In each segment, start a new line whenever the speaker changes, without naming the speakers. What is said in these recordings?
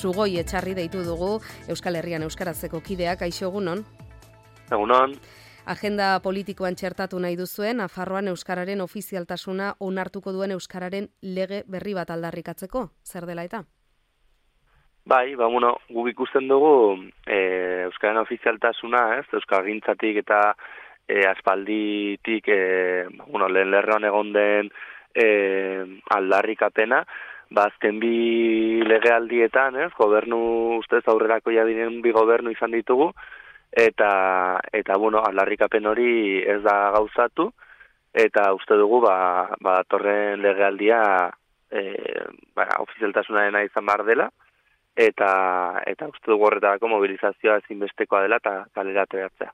Sugoi Etxarri deitu dugu Euskal Herrian euskarazeko kideak. Kaixo, egunon?
Egunon.
Agenda politikoan txertatu nahi duzuen, Nafarroan euskararen ofizialtasuna onartuko duen euskararen lege berri bat aldarrikatzeko, zer dela eta?
Bai, guk ikusten dugu euskararen ofizialtasuna, euskalgintzatik eta aspalditik lehen lerroan egon den aldarrikapena, azken bi legealdietan, gobernu ustez aurrerako diren bi gobernu izan ditugu, eta aldarrikapen hori ez da gauzatu, eta uste dugu datorren legealdia ofizialtasunarena izan behar dela, eta uste dugu horretarako mobilizazioa ezinbestekoa dela eta kalera ateratzea.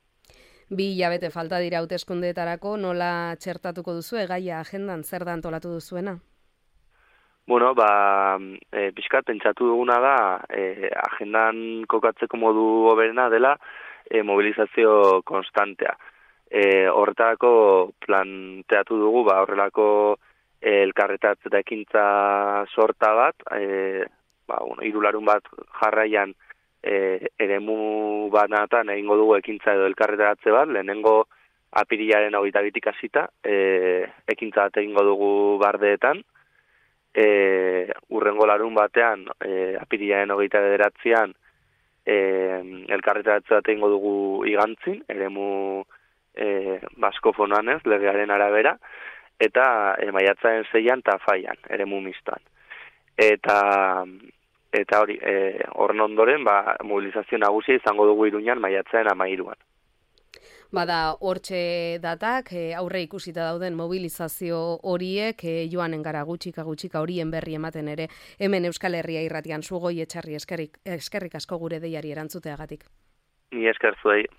2 hilabete falta dira hauteskundeetarako, nola txertatuko duzu gaia agendan, zer da antolatu duzuena?
Pixkat pentsatu duguna da, agendan kokatzeko modu hoberena dela mobilizazio konstantea. Horretarako planteatu dugu, horrelako elkarretatz eta ekintza sorta bat, hirularun bat jarraian eremu banatan egingo dugu ekintza edo elkarretaratze bat, lehenengo apirilaren 22 hasita, ekintza bat egingo dugu Bardeetan, urrengo larun batean, apirilaren 29an, elkarretaratze bat egingo dugu Igantzin, eremu baskofonoan legearen arabera, eta maiatzaren 6an eta Faian, eremu mistoan. Eta hori, horren ondoren, mobilizazio nagusia izango dugu Iruñan maiatzaren 13an.
Bada hortxe datak, aurre ikusita dauden mobilizazio horiek, joanen gara gutxika horien berri ematen ere, hemen Euskal Herria irratian. Sugoi Etxarri, eskerrik asko gure deiari erantzuteagatik.
Ni esker zuei.